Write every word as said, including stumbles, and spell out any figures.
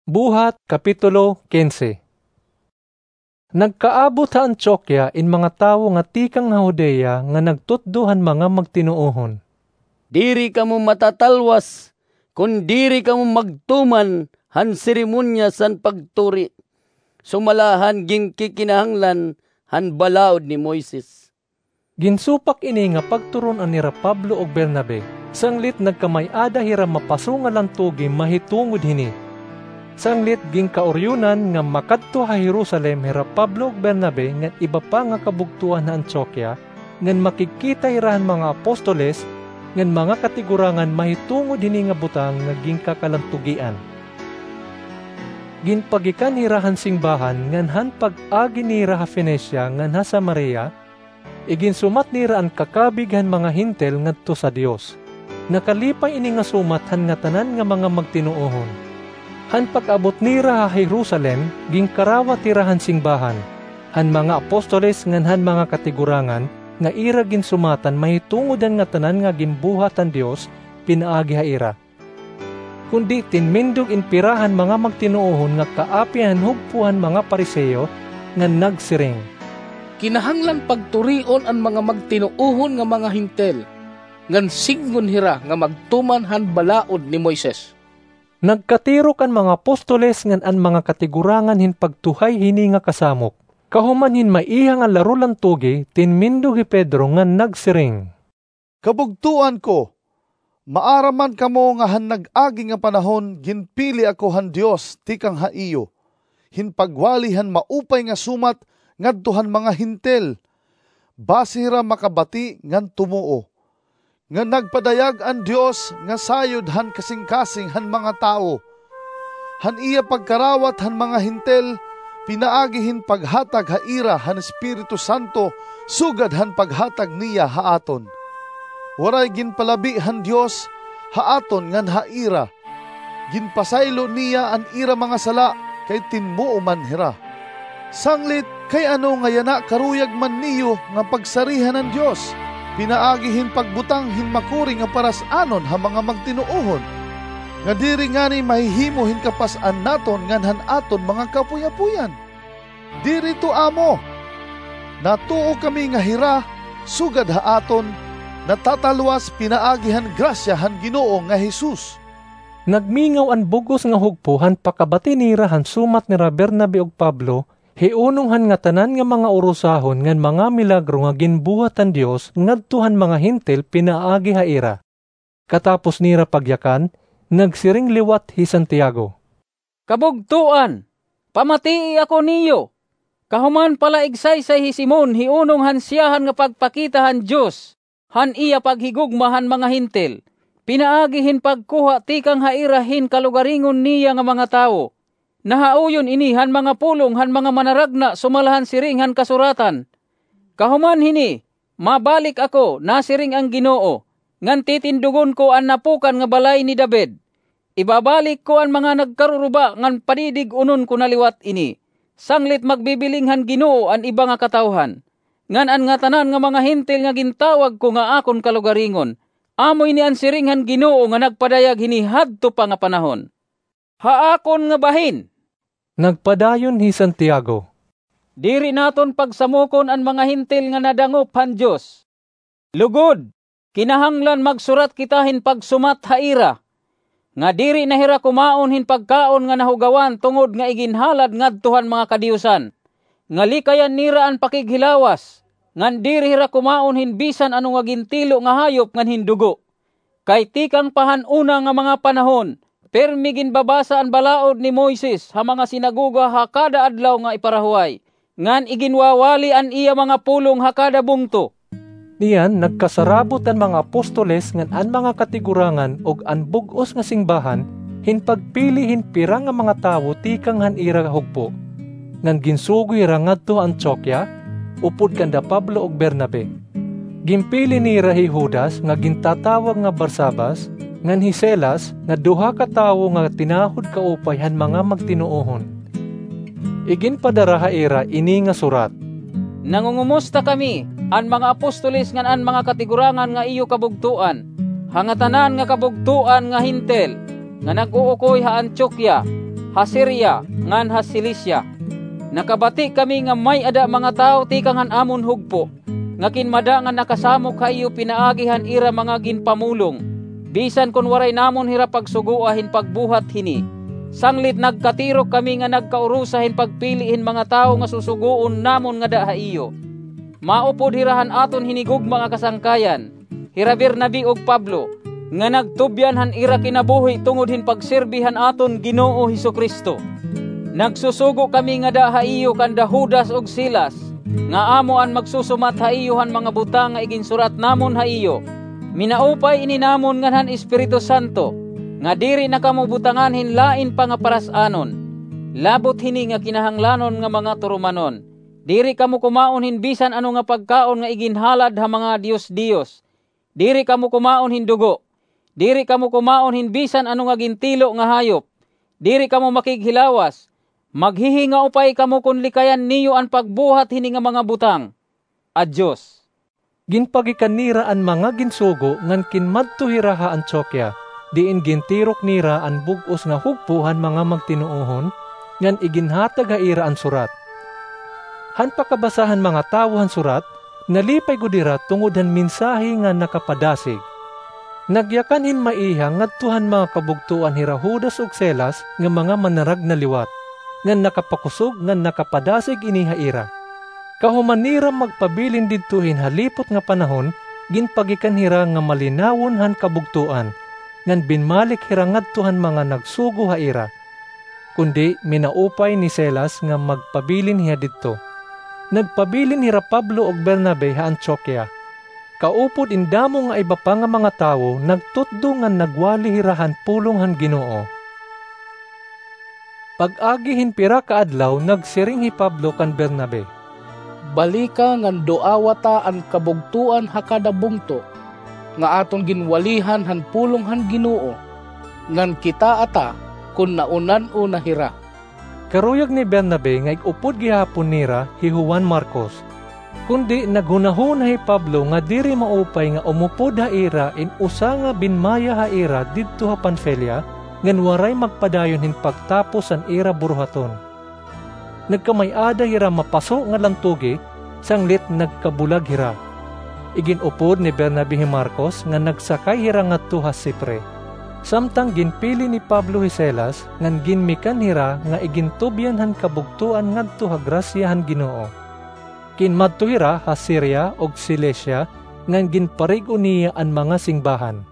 Buhat, Kapitulo quince. Nagkaabot ha Antioquia in mga tawo nga tikang ha Judea nga nagtutdo han mga magtinuohon, "Diri kamo matatalwas kon diri kamo magtuman han seremonyas han pagturi, sumala han ginkikinahanglan han balaod ni Moises." Ginsupak ini nga pagturon-an nira Pablo ug Bernabe, sanglit nagkamay-ada hira mapasonga la han tugi mahitungod hini. Sanglit ginkauryonan nga makadto ha Jerusalem hira Pablo ug Bernabe ngan iba pa nga kabugtoan ha Antioquia, ngan makigkita hira han mga apostoles ngan mga katigurangan mahitungod hini nga butang nga ginkakalantugian. Ginpagikan hira han simbahan ngan han pag-agi nira ha Fenicia ngan ha Samaria, iginsumat nira an kakabig han mga Hentil ngadto sa Dios. Nakalipay ini nga sumat han ngatanan nga mga magtinuohon. Han pag-abot nira ha Jerusalem, ginkarawat hira han simbahan, han mga apostoles ngan han mga katigurangan nga ira ginsumatan mahitungod han ngatanan nga ginbuhat han Dios pinaagi ha ira. Kundi tinmindog in pira han mga magtinuohon nga kaapi han hugpo han mga Fariseo ngan nagsiring, "Kinahanglan pagturion an mga magtinuohon nga mga Hentil, ngan sidngon hira nga magtuman han balaod ni Moises." Nagkatirok an mga apostoles ngan an mga katigurangan hin pagtuhay hini nga kasamok. Kahuman hin maiha nga laro la han tugi, tinmindog hi Pedro ngan nagsiring, "Kabugtoan ko, maaram man kamo nga han nag-agi nga panahon ginpili ako han Dios tikang ha iyo, hin pagwali han maupay nga sumat ngadto han mga Hentil, basi hira makabati ngan tumuo. Ngan nagpadayag an Dios nga sayod han kasingkasing han mga tawo, han iya pagkarawat han mga Hentil pinaagi hin paghatag ha ira han Espiritu Santo sugad han paghatag niya ha aton. Waray ginpalabi han Dios ha aton ngan ha ira. Ginpasaylo niya an ira mga sala kay tinmuo man hira. Sanglit, kay ano nga yana karuyag man niyo nga pagsarihan an Dios pinaagi hin pagbutang hin makuri nga paras-anon ha mga magtinuohon, nga diri ngani mahihimo hin kapas-an naton ngan han aton mga kaapoy-apoyan? Diri ito amo! Natuo kami nga hira, sugad ha aton, natatalwas pinaagi han grasya han Ginoo nga Jesus." Nagmingaw an bug-os nga hugpo han pakabati nira han sumat nira Bernabe ug Pablo, hiunong han ngatanan nga mga urusahon ngan mga milagro nga ginbuhat han Dios ngadto han mga Hentil pinaagi ha ira. Katapos nira pagyakan, nagsiring liwat hi Santiago, "Kabugtoan, pamatii ako niyo! Kahuman palaigsaysay hi Simon hiunong han siyahan nga pagpakita han Dios han iya paghigugma han mga Hentil, pinaagi hin pagkuha tikang ha ira hin kalugaringon niya nga mga tawo. Nahaoyon ini han mga pulong han mga manaragna sumala han siring han Kasuratan. Kahuman hini, mabalik ako, nasiring an Ginoo, ngan titindugon ko an napukan nga balay ni David. Ibabalik ko an mga nagkaruruba ngan padidig-unon ko na liwat ini, sanglit magbibiling han Ginoo an iba nga katawhan, ngan an ngatanan nga mga Hentil nga gintawag ko nga akon kalugaringon. Amo ini an siring han Ginoo nga nagpadayag hini hadto pa nga panahon." "Ha akon nga bahin," nagpadayon hi Santiago, "diri naton pagsamokon an mga Hentil nga nadangop han Dios. Lugod, kinahanglan magsurat kita hin pagsumat ha ira, nga diri na hira kumaon hin pagkaon nga nahugawan tungod nga iginhalad ngadto han mga kadiyusan, nga likayan nira an pakighilawas, ngan diri hira kumaon hin bisan ano nga gintilo nga hayop ngan hin dugo. Kay tikang pa han una nga mga panahon, pirmi ginbabasa an balaod ni Moises ha mga sinagoga ha kada adlaw nga iparahuway, ngan iginwawali an iya mga pulong ha kada bungto." Niyan nagkasarabot an mga apostoles ngan an mga katigurangan ug an bug-os nga simbahan hin pagpili hin pira nga mga tawo tikang han ira hugpo, ngan ginsugo hira ngadto ha Antioquia, upod kanda Pablo ug Bernabe. Ginpili nira hi Judas nga gintatawag nga Barsabas, ngan hi Silas nga duha ka tawo nga tinahod kaupay han mga magtinuohon. Iginpadara ha ira ini nga surat, "Nangungumusta kami, an mga apostoles ngan an mga katigurangan nga iyo kabugtoan, ha ngatanan nga kabugtoan nga Hentil nga nag-uukoy ha Antioquia. ha Siria ngan ha Cilicia. Nakabati kami nga may-ada mga tawo tikang han amon hugpo, nga kinmada nga nakasamok ha iyo pinaagi han ira mga ginpamulong, bisan kon waray namon hira pagsugoa hin pagbuhat hini. Sanglit nagkatirok kami nga nagkaurusa hin pagpili hin mga tawo nga susugoon namon ngada ha iyo. Maupod hira han aton hinigugma nga kasangkayan, hira Bernabe ug Pablo, nga nagtubyan han ira kinabuhi tungod hin pagserbi han aton Ginoo Jesu-Cristo. Nagsusugo kami ngada ha iyo kanda Judas ug Silas, nga amo an magsusumat ha iyo han mga butang nga iginsurat namon ha iyo. Minaupay ini namon ngan han Espiritu Santo, nga diri na kamo butangan hin lain pa nga paras-anon, labot hini nga kinahanglanon nga mga turumanon. Diri kamo kumaon hin bisan ano nga pagkaon nga iginhalad ha mga diyos-diyos. Diri kamo kumaon hin dugo. Diri kamo kumaon hin bisan ano nga gintilo nga hayop. Diri kamo makighilawas. Maghihingaupay kamo kon likayan niyo an pagbuhat hini nga mga butang. Adyos. Ginpagikan nira an mga ginsugo ngan kinmadto hira ha Antioquia, diin gintirok nira an bug-os nga hugpo han mga magtinuohon, ngan iginhatag ha ira an surat. Han pakabasa han mga tawo han surat, nalipay gud hira tungod han mensahe nga nakapadasig. Nagyakan hin maiha ngadto han mga kabugtoan hira Judas ug Silas nga mga manaragna liwat, ngan nakapakusog ngan nakapadasig ini ha ira. Kahuman nira magpabilin didto hin halipot nga panahon, ginpagikan hira nga malinawon han kabugtoan, ngan binmalik hira ngadto han mga nagsugo ha ira. Kundi minaupay ni Silas nga magpabilin hiya didto. Nagpabilin hira Pablo ug Bernabe ha Antioquia. Kaupod in damo nga iba pa nga mga tawo nagtutdo ngan nagwali hira han pulong han Ginoo. Pag-agi hin pira ka adlaw, nagsiring hi Pablo kan Bernabe, "Balika ngan duawa ta an kabugtoan ha kada bungto nga aton ginwalihan han pulong han Ginoo, ngan kitaa ta kon naunan-o na hira." Karuyag ni Bernabe nga ig-upod gihapon nira hi Juan Marcos. Kundi naghunahuna hi Pablo nga diri maupay nga umupod ha ira in usa nga binmaya ha ira didto ha Panfilia, ngan waray magpadayon hin pagtapos han ira buruhaton. Nagkamay-ada hira mapaso nga lantugi, sanglit nagkabulag hira. Igin-upod ni Bernabe hi Marcos nga nagsakay hira ngadto ha Chipre. Samtang ginpili ni Pablo hi Silas, ngan ginmikan hira nga igintubyan han kabugtoan ngadto ha grasya han Ginoo. Kinmadto hira ha Siria ug Cilicia, ngan ginparig-o niya an mga singbahan.